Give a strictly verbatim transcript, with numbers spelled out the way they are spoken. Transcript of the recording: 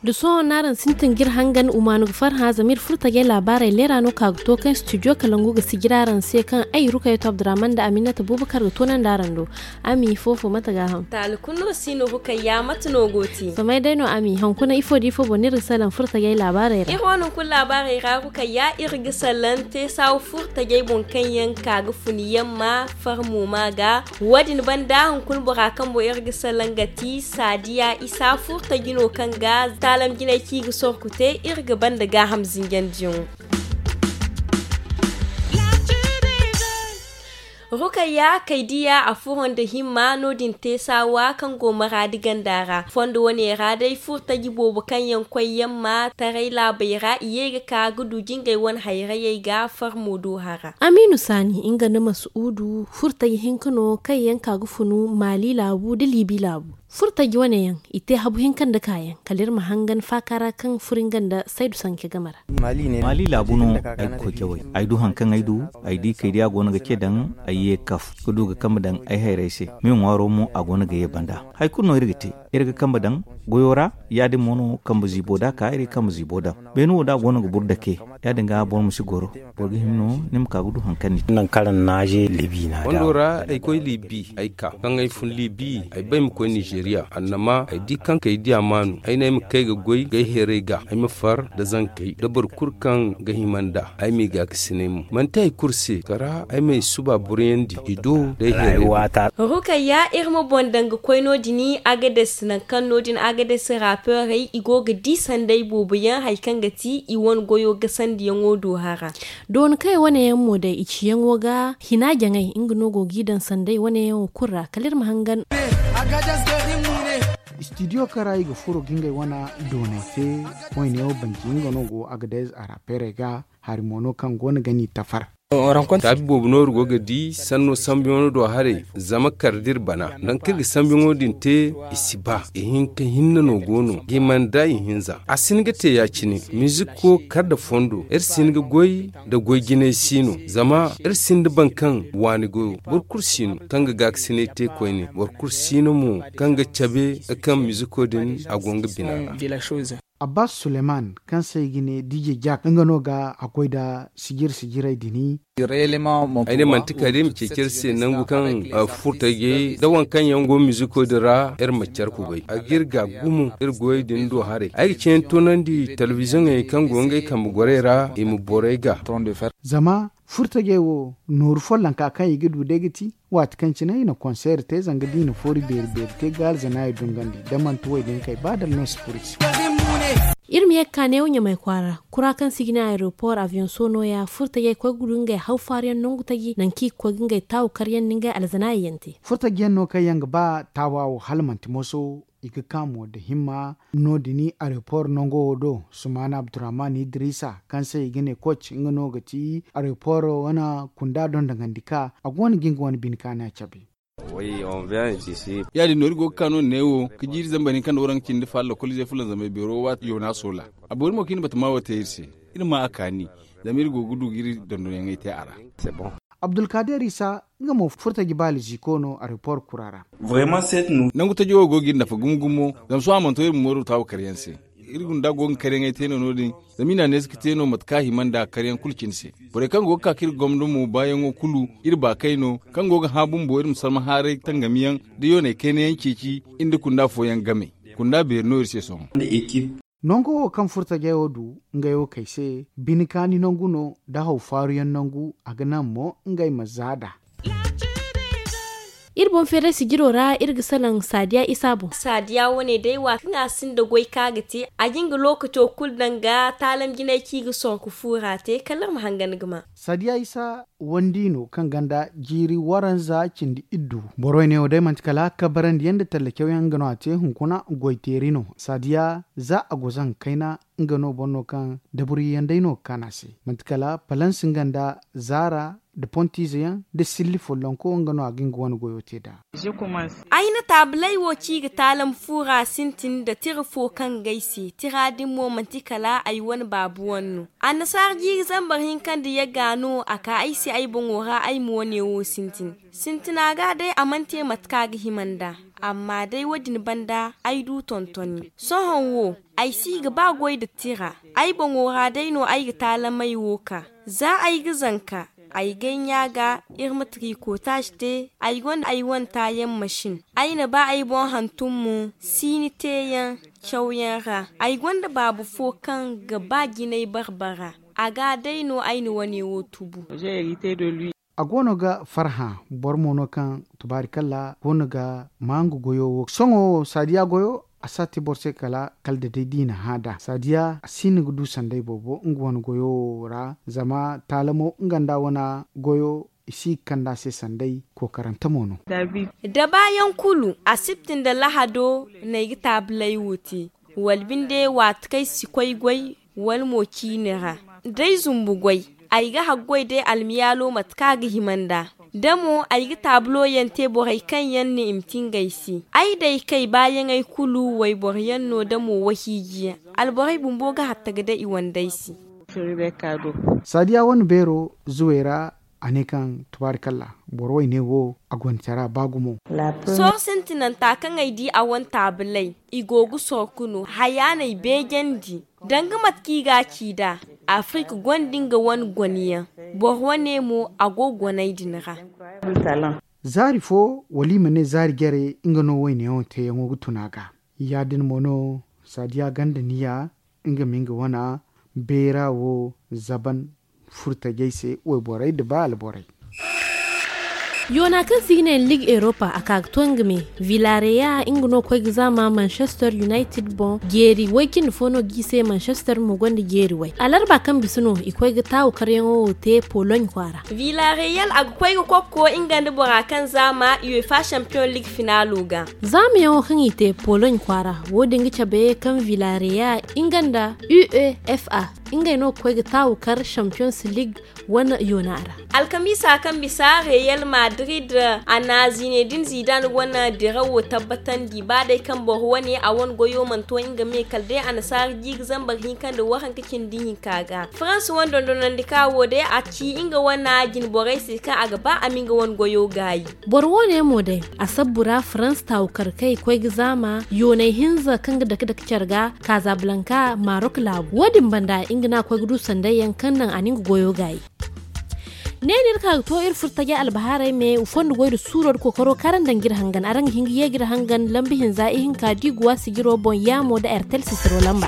Da sohõ no araŋ sintin ga iri hangan umaanu ga farhã zama iri furo tajey laabaarey leera no ka ga to kaŋ studio kalangu ga sijiri araŋ se kaŋ ay rukayatu abdurrahman nda aminata bubakar ga toonandi araŋ do. Ami ifo fo mate ga a haŋ? Taali kulu no si no rukayya mate no go te? Samay day no ami hunkuna ifo da ifo boŋ no iri ga salaŋ furo tajey laabaarey ra? Iri wane hunkuna laabaarey ra rukayya iri ga salaŋ te saawu furo tajey boŋ kaŋ yaŋ ka ga fun yamma farmo ma ga. Wo- din banda hunkuna bora kaŋ boŋ iri ga salaŋ ga ti saadiya isa furo taji no kaŋ ga taalam jinay ci ga sorku te iri ga banda gaaham zinjandiyaŋo. Rukayya kay diya a furo nda himma no- din te saawa kaŋ go maraadi ganda ra fondo wane ra day furo taji boobo kaŋ yaŋ koy yamma taray laabey ra i ye ga ka ga du jingay wane hayrayey ga farmo do hara. Amiinu saani nga nda masuudu furo taji hinka no kaŋ yaŋ ka ga funu maali laabu nda liibi laabu. Furo taji wane yaŋ i te habu hinka nda kaayaŋ kala iri ma hangan faaka ra kaŋ furo nga nda saydu sanke game ra. Maali laabu no ay ga koy cawey. Ay du hari kaŋ ay du, ay di kay diya go no ga ce daŋ ay ye kaf ga du ga kambe daŋ ay hayrey se. Me ŋwaaro mo a go no ga ye banda hari kulu no iri ga te. Iri ga kambe daŋ goyo ra. Ya- din mo no kambe ziibo da ka iri ga kambe ziibo daŋ. Beene wo da a go no ga buru dake. Ya- din ga boro ma si goro. Boro ga hima no ni ma ka ga du hari kaŋ ni te. Fondo ra ay koy liibi ay ka kaŋ ay fun liibi ay bay ma koy nizeeriya annama ay di kaŋ kay diya maanu ay ne ay ma kay ga goy gay heeray ga ay ma far nda zankey nda boro kulu kaŋ ga hima nd'a ay m'i gaakasinay mo manti hari kulu se kala ay m'ay suba buruyandi i do day heeray. Rukayya iri ma boŋ daŋ ga koy no- din agades nangu kaŋ no- din agades rapeerey i go ga di sanday boobo yaŋ hari kaŋ ga ti i wane goyo gasandiyaŋo do hara. Dooni kaŋ i wane yaŋ mo day i ciyaŋo ga hina jaŋay nga no go g'i daŋ sanday wane yaŋo kulu ra kala iri ma hangan. Istidiyo kaŋ ra i ga furo ga ngey wane doonay te wayne wo banji nga no go agadez a rapeerey ga hari mo no kaŋ go no ga n'i tafar. Taabi boobo no iri go ga di sanno sambuyaŋo do haray zama kala da iri bana nangu kaŋ iri ga sambuyaŋo din te i si ba ihinka hinne no go no ga i mana da ihinza a si hin ga te ya- cine miziko kala nda fondo iri si hin ga goy nda goy jinay si no zama iri sinda boro kaŋ waani goyo boro kulu si no kaŋ ga gaakasinay te koyne boro kulu si no mo kaŋ ga cabe kaŋ miziko din a go nga bina ra. Abbas suleman kaŋ se i ga ne dije jak nga no ga a goy nda sijir sijirey din. Ay ne manti kala day ma ceeci iri se nangu kaŋ furtajey nda waŋ kaŋ yaŋ go miziko din ra iri ma care kubay a ga iri ga gumo iri goyey din do haray ay ga ceeyaŋ toonandi telebiziyoŋey kaŋ go ngey kambe gorey ra i ma borey ga. Zama furtajey wo nooru follonka kaŋ i ga du day ga ti waati kaŋ cine i na konseer te zanga da i na foori beeri beeri te ga alzanaayey dungandi da manti wo-din kay ba dala no si furo i se. Iri ma ye ga ka neewo ɲamay kwaara kura kaŋ se i ga ne aeropor aviyaŋ soono ya furtajey koy ga du ngey haw faaruyaŋ nangu taji nangu kaŋ i ga koy ga ngey taawu karyaŋ nda ngey alzanaayey yaŋ te. Furtajiyaŋ no kaŋ yaŋ ga ba taawa wo hala manti moso i ga ka mo nda himma no- din aeropor nango wo do sumaana abdurrahman idrisa kaŋ se i ga ne koc nga no ga ti aeropor wane kunda dondonandi ka a go no ga nga wane bine kaana cabe. Ya- din no iri go ga ka no neewo ga jiiri zambar hinka nda waranka cindi faala lokolize fulanzamay beero waati yoona soola a boori mo kaŋ i na batama wo te iri se iri ma a kaani zama iri go ga du ga iri dondonyaŋey te a ra. Abdulkader isa nga mo furtaji baali ziiko no aeropor kura ra. Nangu taji wo go ga iri nafa gumo gumo zama sohõ a mana to iri ma mooru taawu karyaŋ se. Iri gunda go ga karyaŋey te no no- din zama i na a neesi ga te no mate kaŋ a hima nda karyaŋ kulu cine se. Borey kaŋ go ga ka ka iri gomdo mo baayaŋo kulu iri ba kay no kaŋ go ga hã bumbo iri ma sarma haaray tangamiyaŋ da yooney kaynayaŋ ceeci iri nda kunda fooyaŋ game. Kunda beeri no iri se sohõ. Nango wo kaŋ furtajey wo du ngey wo kay se bine kaani nangu no nda haw faaruyaŋ nangu a ga naŋ mo ngey ma za nd'a. Iri boŋ feeray sijiro ra iri ga salaŋ saadiya isa boŋ. Saadiya wane day waati kaŋ a sinda goy kaŋ a ga te a ga nga lookaco kulu daŋ ga taalam jinay kaŋ i ga sorku fuura te kala iri ma hangan ga ma. Saadiya isa wandi no kaŋ ganda jiiri waranza cindi iddu borey neewo day manti kala kabarandiyaŋ nda tallacawyaŋ nga no a te hunkuna goyteeri no saadiya za a go zaŋ kayna nga no boro no kaŋ daburiyaŋ day no ga kaan a se manti kala palans nga nda zaara nda pontiize yaŋ nda silli follonko nga no a ga nga wane goyo te nd'a. Ay na taabaley wo ci ga taalam fu ra sintin nda tira fo kaŋ ga ay se tira din mo manti kala ay wane baabu wane no. Annasaara jiiri zambar hinka nda yagga no a ka ay se ay boŋo ra ay ma wane wo sintin. Sintina ga day a mana te mate kaŋ a ga hima nd'a. Amma day wo- din banda ay du tontoni sohõ wo. Ay si ga ba goy nda tira. Ay boŋo ra day no ay ga taalamey wo ka. Za ay ga zanka ay gay ɲa ga. Iri ma trikotaaz te. Ay gonda ay wane taayaŋ masin. Ay na ba ay boŋ hantum mo. Siini teeyaŋ cawyaŋ ra. Ay gonda baabu fo kaŋ ga ba jinay barbara. A ga day no ay na wane wo tubu. A goono ga farhã. Boro mo no kaŋ tubaarikalla goono ga maa nga goyo wo sohõ wo saadiya goyo. A si a te boro se kala kala da day da i na hã nd'a saadiya a si hin ga du sanday boobo nga wane goyo wo ra. Zama taalamo nga nda a wane goyo i si ga kand'a se sanday. Kookarante mo no. Da baayaŋ kulu asibti nda lahado no ay ga taabaley wo te. Wala binde waati kaŋ ay si koy goy wala mo ciine ra. D'ay zumbu goy ay ga haggoy day almiyaalo mate kaŋ a ga hima nd'a. Da mo ay ga taabulo yaŋ te borey kaŋ yaŋ no i ma ti ngey se. Ay d'ay kay baayaŋey kulu wayboro yaŋ no da mo wahiiji yaŋ. Alborey bumbo ga hatta ga day i wandey se. Saadiya wane beero zuwey ra a ne kaŋ tubaarikalla boro wayne wo a gonda tara ba gumo. Sohõ sintinanta kaŋ ay di a wane taabaley i go ga sorku no haya no ay beejandi. Danga mate kaŋ i ga a ci nd'a. Afirik gonda nga wane gone yaŋ. Boro wane mo a go ga goney din ra. Zaari fo wala i ma ne zaari jare nga no wayne wo teeyaŋo ga tun a ga. Ya- din mo no saadiya ganda niya nga ma nga wane beera wo zaban furtajey se wayborey nda ba alborey. Yoona kaŋ se i ga ne liig europa a ka ga to nga me. Villareal nga no ga koy ga zaama manchester united boŋ jeeri way- cindi fo no ga i se manchester mo gonda jeeri way alarba kaŋ bisa no i koy ga taawu karyaŋo wo te pologne kwaara. Villareal a ga koy ga kokko nga nda bora kaŋ zaama uefa champion liig finaalo ga. Zaamayaŋo kaŋ i te pologne kwaara wo- din ga cabe kaŋ villareal nga nda uefa ngey no ga koy ga taawu kar champions liig wane yoona ra. Alkamiisa kaŋ bisa real madrid a na zinedin zidan wane dirawo tabbatandi ba day kaŋ boro wane a wane goyo mana to nga me kala day annasaara jiiri zambar hinka nda waranka cindi hinka ga farans wane dondonandi ka wo day a ci nga wane jine borey se kaŋ a ga ba a ma nga wane goyo gaayi. Boro wo- ne mo day a sabbu ra farans taawukarkey koy ga zaama yooney hinza kaŋ ga dake dake care ga kaazabalanka marok laabu wo- din banda nga no a koy ga du sanday yaŋ kaŋ naŋ a na nga goyo gaayi. Ne no iri ka ga to iri furo tajey albahaarey me fondo goy nda suuro nda kookaro kaŋ araŋ daŋ ga iri hangan araŋ ga hin ga ye ga iri hangan lamba hinza ihinka da i ga waasi ga iri wo boŋ yaamo nda airtel sisiro lamba.